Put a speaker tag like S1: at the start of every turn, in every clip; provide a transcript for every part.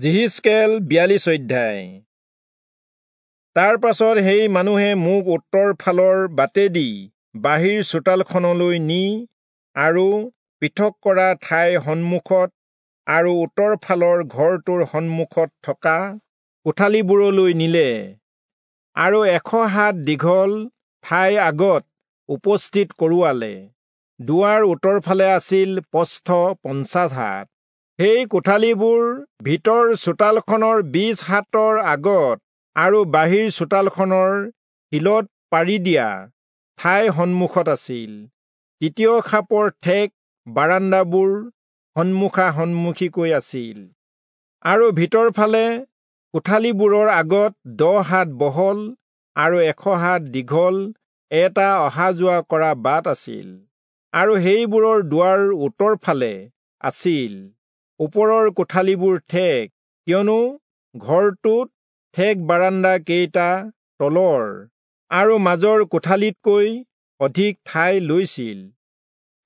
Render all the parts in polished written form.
S1: যিহিষ্কেল 42 অধ্যায়। তাৰ পাছত সেই মানুহে মোক উত্তৰ ফালৰ বাটেদি বাহিৰ চোতালখনলৈ নি আৰু পৃথক কৰা ঠাইৰ সন্মুখত আৰু উত্তৰ ফালৰ ঘৰটোৰ সন্মুখত থকা কোঠালিবোৰলৈ নিলে আৰু 100 হাত দীঘল ঠাইৰ আগত উপস্থিত কৰোৱালে। দুৱাৰ উত্তৰ ফালে আছিল প্ৰস্থ 50 হাত। সেই কোঠালিবোৰ ভিতৰ চোতালখনৰ 20 হাতৰ আগত আৰু বাহিৰ চোতালখনৰ শিলত পাৰি দিয়া ঠাইৰ সন্মুখত আছিল। তৃতীয় খাপৰ ঠেক বাৰাণ্ডাবোৰ সন্মুখা সন্মুখীকৈ আছিল আৰু ভিতৰ ফালে কোঠালিবোৰৰ আগত 10 হাত বহল আৰু 100 হাত দীঘল এটা অহা যোৱা কৰা বাট আছিল আৰু সেইবোৰৰ দুৱাৰ উত্তৰ ফালে আছিল। ওপৰৰ কোঠালিবোৰ ঠেক, কিয়নো ঘৰটোত ঠেক বাৰাণ্ডা কেইটা তলৰ আৰু মাজৰ কোঠালিতকৈ অধিক ঠাই লৈছিল,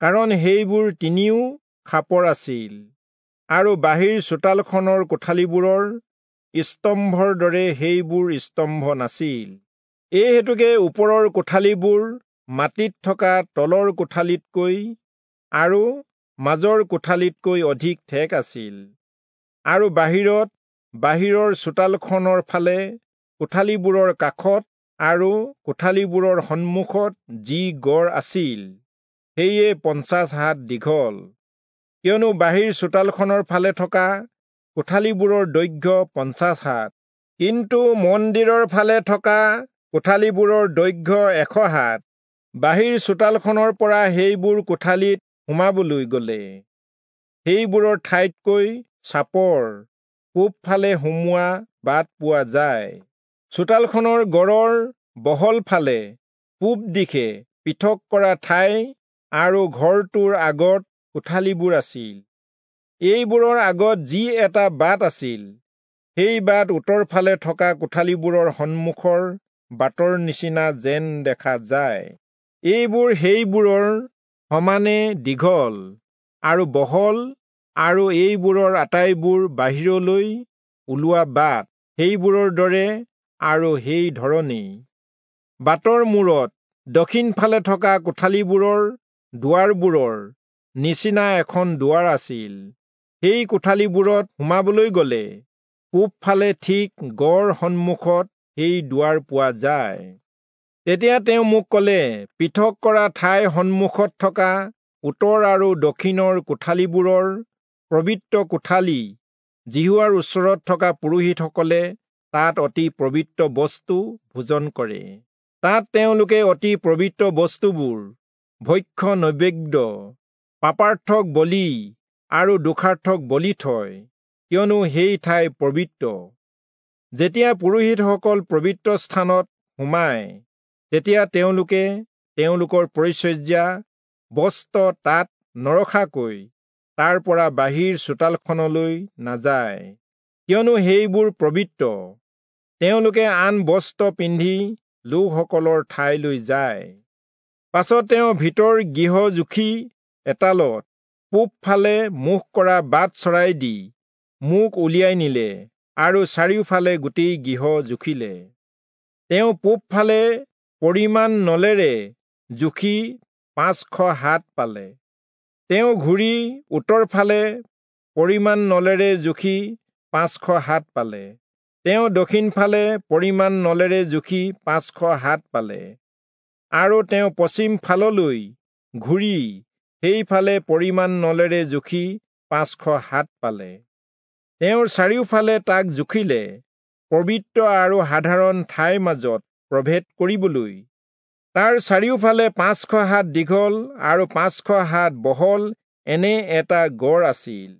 S1: কাৰণ সেইবোৰ তিনিও খাপৰ আছিল আৰু বাহিৰ চোতালখনৰ কোঠালিবোৰৰ স্তম্ভৰ দৰে সেইবোৰ স্তম্ভ নাছিল। এই হেতুকে ওপৰৰ কোঠালিবোৰ মাটিত থকা তলৰ কোঠালিতকৈ আৰু মাজৰ কোঠালিতকৈ অধিক ঠেক আছিল আৰু বাহিৰত বাহিৰৰ চোতালখনৰ ফালে কোঠালিবোৰৰ কাষত আৰু কোঠালিবোৰৰ সন্মুখত যি গড় আছিল সেয়ে 50 হাত দীঘল, কিয়নো বাহিৰ চোতালখনৰ ফালে থকা কোঠালিবোৰৰ দৈৰ্ঘ্য 50 হাত, কিন্তু মন্দিৰৰ ফালে থকা কোঠালিবোৰৰ দৈৰ্ঘ্য 100 হাত। বাহিৰ চোতালখনৰ পৰা সেইবোৰ কোঠালিত সোমাবলৈ গ'লে সেইবোৰৰ ঠাইতকৈ চাপৰ পূবফালে সোমোৱা বাট পোৱা যায়। চোতালখনৰ গড়ৰ বহল ফালে পূব দিশে পৃথক কৰা ঠাই আৰু ঘৰটোৰ আগত কোঠালিবোৰ আছিল। এইবোৰৰ আগত যি এটা বাট আছিল সেই বাট উত্তৰ ফালে থকা কোঠালিবোৰৰ সন্মুখৰ বাটৰ নিচিনা যেন দেখা যায়। এইবোৰ সেইবোৰৰ সমানে দীঘল আৰু বহল আৰু এইবোৰৰ আটাইবোৰ বাহিৰলৈ ওলোৱা বাট সেইবোৰৰ দৰে আৰু সেই ধৰণেই। বাটৰ মূৰত দক্ষিণ ফালে থকা কোঠালিবোৰৰ দুৱাৰবোৰৰ নিচিনা এখন দুৱাৰ আছিল। সেই কোঠালিবোৰত সোমাবলৈ গ'লে পূবফালে ঠিক গড় সন্মুখত সেই দুৱাৰ পোৱা যায়। তেতিয়া তেওঁ মোক ক'লে, পৃথক কৰা ঠাইৰ সন্মুখত থকা উত্তৰ আৰু দক্ষিণৰ কোঠালিবোৰৰ পবিত্ৰ কোঠালি যিহোৱাৰ ওচৰত থকা পুৰোহিতসকলে তাত অতি পবিত্ৰ বস্তু ভোজন কৰে। তাত তেওঁলোকে অতি পবিত্ৰ বস্তুবোৰ ভক্ষ্য নৈবেদ্য, পাপাৰ্থক বলি আৰু দোষাৰ্থক বলি থয়, কিয়নো সেই ঠাই পবিত্ৰ। যেতিয়া পুৰোহিতসকল পবিত্ৰ স্থানত সোমায় তেতিয়া তেওঁলোকে তেওঁলোকৰ পৰিচৰ্যা বস্ত্ৰ তাত নৰখাকৈ তাৰ পৰা বাহিৰ চোতালখনলৈ নাযায়, কিয়নো সেইবোৰ পবিত্ৰ। তেওঁলোকে আন বস্ত্ৰ পিন্ধি লোকসকলৰ ঠাইলৈ যায়। পাছত তেওঁ ভিতৰ গৃহ জুখি এটালত পূবফালে মুখ কৰা বাট চৰাই দি মোক উলিয়াই নিলে আৰু চাৰিওফালে গোটেই গৃহ জুখিলে। তেওঁ পূবফালে পৰিমাণ নলেৰে জুখি 500 হাত পালে। তেওঁ ঘূৰি উত্তৰ ফালে পৰিমাণ নলেৰে জুখি 500 হাত পালে। তেওঁ দক্ষিণ ফালে পৰিমাণ নলেৰে জুখি 500 হাত পালে আৰু তেওঁ পশ্চিম ফাললৈ ঘূৰি সেইফালে পৰিমাণ নলেৰে জুখি 500 হাত পালে। তেওঁৰ চাৰিওফালে তাক জুখিলে, পবিত্ৰ আৰু সাধাৰণ ঠাইৰ মাজত প্ৰভেদ কৰিবলৈ। তাৰ চাৰিওফালে 500 হাত দীঘল আৰু 500 হাত বহল এনে এটা গড় আছিল।